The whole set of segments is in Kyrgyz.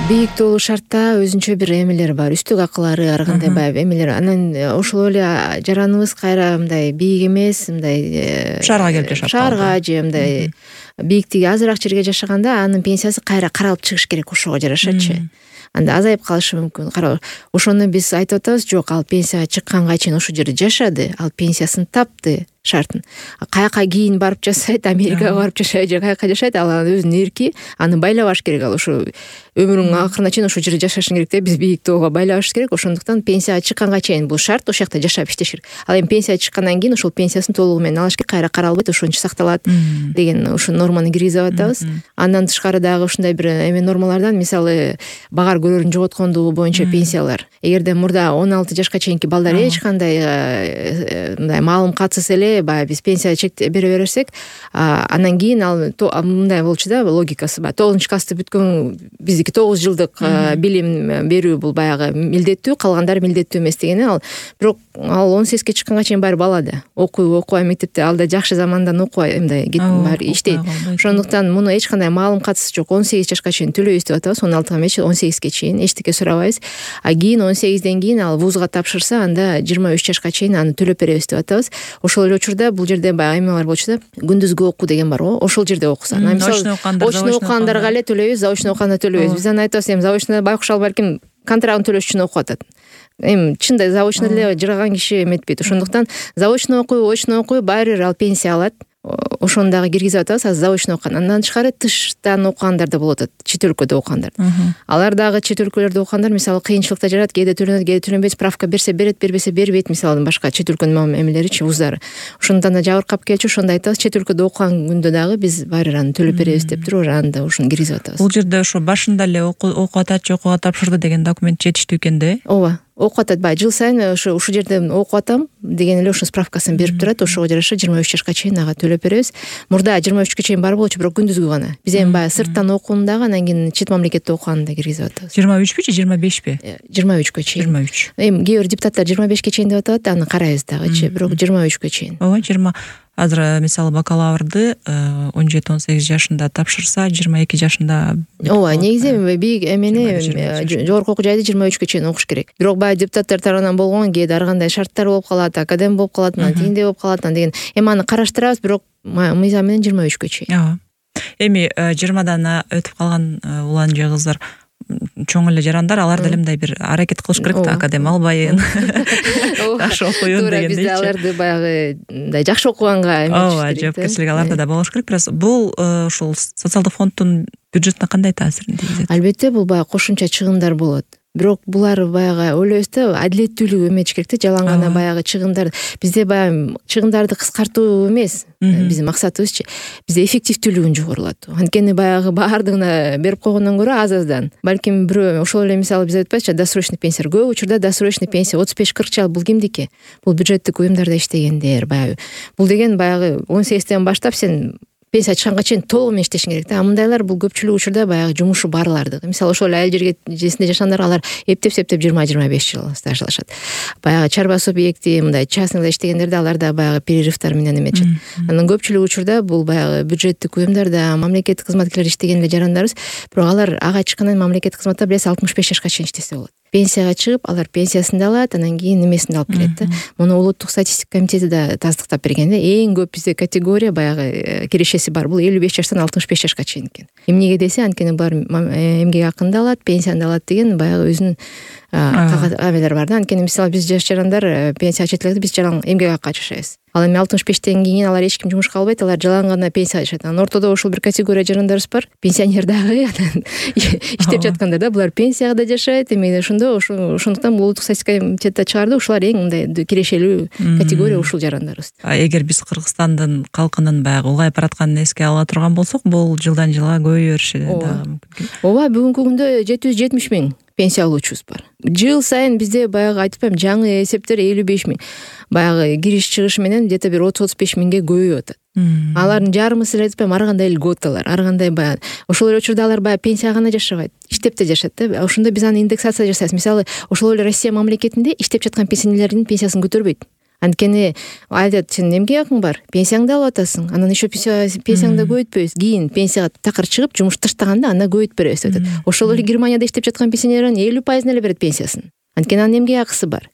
Бийик тоолуу шартта өзүнчө бир эмелери бар, үстүк акылары, ар кандай баягы эмелер. Анан ошол эле жараныбыз кайра мындай бийик эмес, мындай шаарга келип жашап шаарга же мындай бийиктиги азыраак жерге жашаганда анын пенсиясы кайра каралып чыгыш керек, ошого жарашачы. Анда азайып калышы мүмкүн. Ошону биз айтып атабыз, жок, ал пенсияга чыкканга чейин ошол жерде жашады, ал пенсиясын тапты шартын. Каяка кийин барып жашайт, Америкага барып жашайт же каяка жашайт, ал өзүнүн эрки, аны байлабаш керек. Ал ошо өмүрүнүн акырына чейин ошол жерде жашашың керек да, биз бийик тоого байлабаш керек. Ошондуктан пенсияга чыкканга чейин бул шарт, ошол жакта жашап иштеш керек. Ал эми пенсияга чыккандан кийин ошол пенсиясын толугу менен алыш керек, кайра каралбайт, ошончо сакталат деген ошо норманы киргизип атабыз. Андан тышкары дагы ушундай бир нормалардан, мисалы, багар көрөрүн жоготкондугу боюнча пенсиялар. Эгерде мурда 16 жашка чейинки балдар эч кандай мындай маалым катсыз эле баягы биз пенсия чек бере берсек, анан кийин ал мындай болчу да, логикасы бар. 9 классты бүткөн биздики 9 жылдык билим берүү бул баягы милдеттүү, калгандары милдеттүү эмес дегени. Ал бирок ал 18 чыкканга чейин баары бала да. Окуй мектепте, ал да жакшы замандан окубай мындай баары иштейт. Ошондуктан муну эч кандай маалым катсыз жок. 18 жашка чейин төлөйбүз деп атабыз. 16 эмес, 18ге чейин эчтеке сурабайбыз. Кийин 18ден кийин ал вузга тапшырса, анда 23 жашка чейин аны төлөп беребиз деп атабыз. Ошол эле учурда бул жерде баягы эмелер болчу да, күндүзгү окуу деген бар го. Ошол жерде окуса, очно окугандарга эле төлөйбүз, заочно окуганда төлөйбүз. Биз аны айтабыз, эми заочно байкуш ал балким контрагын төлөш үчүн окуп атат. Эми чында заочно эле жырган киши эметпейт. Ошондуктан заочно окуй, очно окуй, баары бир ал пенсия алат. Ошону дагы киргизип атабыз, азыр заочно окуган. Андан тышкары тыштан окугандар да болуп атат, чет өлкөдө окугандар. Алар дагы чет өлкөлөрдө окугандар, мисалы, кыйынчылыкта жарат, кээде төлөнөт, кээде төлөнбөйт, справка берсе берет, бербесе бербейт, мисалы, башка чет өлкөнүн эмелеричи, вуздары. Ошондон да жабыркап келчү, ошондо айтабыз, чет өлкөдө окуган күндө дагы биз баары аны төлөп беребиз деп туруп, аны да ошону киргизип атабыз. Бул жерде ошо башында эле окуп атат, окууга тапшырды деген документ жетиштүү экен да? Ооба. Окуп атат, баягы жыл сайын ушул жерде окуп атам деген эле ошо справкасын берип турат. Ошого жараша 23 жашка чейин ага төлөп беребиз. Мурда 23-кө чейин бар болчу, бирок күндүзгү гана. Биз эми баягы сырттан окууну дагы, анан кийин чет мамлекетте окуганды да киргизип атабыз. 23 же 25 23-кө чейин. 23. Эми кээ бир депутаттар 25-ке чейин деп атат, аны карайбыз дагычы, бирок 23-кө чейин. Ооба, 20. Азыр мисалы бакалаврды 17-18 жашында тапшырса, 22 жашында. Ооба, негизи бийик эмени жогорку окуу жайды 23-кө чейин окуш керек. Бирок баягы депутаттар тарабынан болгон кээде ар кандай шарттар болуп калат, академ болуп калат, анан тигиндей болуп калат, анан деген. Эми аны караштырабыз, бирок мыйзам менен 23-кө чейин. Ооба. Эми 20дан өтүп калган улан же кыздар, чоң эле жарандар, алар деле мындай бир аракет кылыш керек да, академ албайын. Жакшы окуйын дегендей. Биз аларды баягы мындай жакшы окуганга эметиш керек. Жоопкерчилик аларда да болуш керек. Бирок бул ушул социалдык фонддун бюджетине кандай таасирин тийгизет? Албетте, бул баягы кошумча чыгымдар болот. Бирок булар баягы ойлойбуз да, адилеттүүлүк эметиш керек да, жалаң гана баягы чыгымдар. Бизде баягы чыгымдарды кыскартуу эмес биздин максатыбызчы. Бизде эффективдүүлүгүн жогорулатуу. Анткени баягы баардыгына берип койгондон көрө аз-аздан. Балким бирөө ошол эле, мисалы, биз айтпайбызчы, досрочный пенсия. Көп учурда досрочный пенсия 35-40 жыл бул кимдики? Бул бюджеттик уюмдарда иштегендер баягы. Бул деген баягы 18ден баштап сен пенсия чыкканга чейин толугу менен иштешиң керек да. Мындайлар бул көпчүлүк учурда баягы жумушу барларды. Мисалы, ошол айыл жергесинде жашагандар, алар эптеп-септеп 20-25 жыл стажлашат. Баягы чарба субъекти, мындай частныйда иштегендерде алар да баягы перерывтар менен эметишет. Анан көпчүлүк учурда бул баягы бюджеттик уюмдарда мамлекеттик кызматкерлер иштеген эле жарандарыбыз, бирок алар ага чыккандан мамлекеттик кызматта билесиз 65 жашка чейин иштесе болот. Пенсияга чыгып, алар пенсиясын да алат, анан кийин немесин да алып келет да. Муну улуттук статистика комитети да тастыктап берген да. Эң көп бизде категория баягы кирешеси бар. Бул 55 жаштан 65 жашка чейин экен. Эмнеге десе, анткени булар эмгек акын да алат, пенсияны да алат деген баягы өзүнүн кагадалар бар да. Анткени мисалы биз жаш жарандар пенсияга чечилет, биз жалаң эмгек акка жашайбыз. Ал эми 65тен кийин алар эч ким жумушка албайт, алар жалаң гана пенсияга жашайт. Анан ортодо ушул бир категория жарандарыбыз бар. Пенсионер дагы, анан иштеп жаткандар да, булар пенсияга да жашайт. Эми ошондуктан бул улуттук статистика комитети чыгарды, ушулар эң мындай кирешелүү категория ушул жарандарыбыз. Эгер биз Кыргызстандын калкынын баягы улгайып баратканын эске ала турган болсок, бул жылдан жылга көбөйө бериши дагы мүмкүн. Ооба, бүгүнкү күндө 770 000 пенсия алуучубуз бар. Жыл сайын бизде баягы айтпайм, жаңы эсептер 55 000. Баягы кириш чыгыш менен где-то бир 30-35 000ге көбөйүп атат. Алардын жарымысы эле айтпайм, ар кандай льготалар, ар кандай баягы. Ошол эле учурда алар баягы пенсияга гана жашабайт, иштеп да жашат да. Ошондо биз аны индексация жасайбыз. Мисалы, ошол эле Россия мамлекетинде иштеп жаткан пенсионерлердин пенсиясын көтөрбөйт. Анткени айтат, сен эмгек акың бар, пенсияңды алып атасың, анан еще пенсияңды көбөйтпөйбүз, кийин пенсияга такыр чыгып жумуш таштаганда анда көбөйтүп беребиз деп атат. Ошол эле Германияда иштеп жаткан пенсионерлердин 50% эле берет пенсиясын. Анткени анын эмгек акысы бар.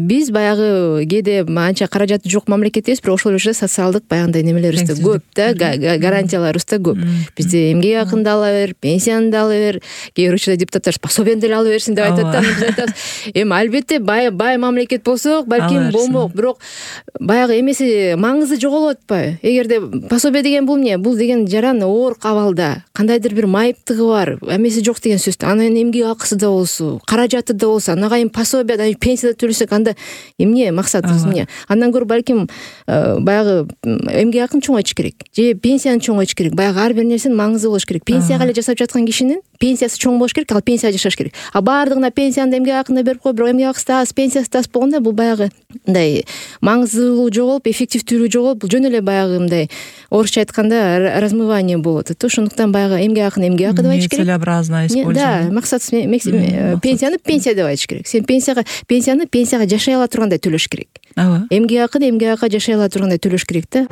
Биз баягы кээде анча каражаты жок мамлекет эмес, бирок ошол эле социалдык баягындай немелерибиз да көп да, гарантияларыбыз да көп. Бизде эмгек акын да ала бер, пенсияны да ала бер, кээ бир учурда депутаттар пособияны деле ала берсин деп айтып атат. Биз айтабыз, эми албетте бай мамлекет болсок, балким болмок, бирок баягы эмеси маңызы жоголуп атпайбы? Эгерде пособие деген бул эмне? Бул деген жаран оор абалда, кандайдыр бир майыптыгы бар, эмеси жок деген сөз. Анын эмгек акысы да болсо, каражаты да болсо, анагайын пособия, пенсия да төлөсөк, анда эмне максатыбыз эмне? Андан көрө балким баягы эмгек акын чоңойтуш керек, же пенсияны чоңойтуш керек. Баягы ар бир нерсенин маңызы болуш керек. Пенсияга эле жашап жаткан кишинин пенсиясы чоң болуш керек, ал пенсияга жашаш керек. Баардыгына пенсияны эмгек акын да берип кой, бирок эмгек акысы да аз, пенсиясы да аз болгондо бул баягы мындай маңыздуулугу жоголуп, эффективдүүлүгү жоголуп, бул жөн эле баягы мындай орусча айтканда размывание болуп атат. Ошондуктан баягы эмгек акын эмгек акы деп айтыш керек. Целеобразно использовать. Да, максатсыз пенсияны пенсия деп айтыш керек. Сен пенсияны пенсияга жашай ала тургандай төлөш керек. Эмгек акын эмгек акка жашай ала тургандай төлөш керек да.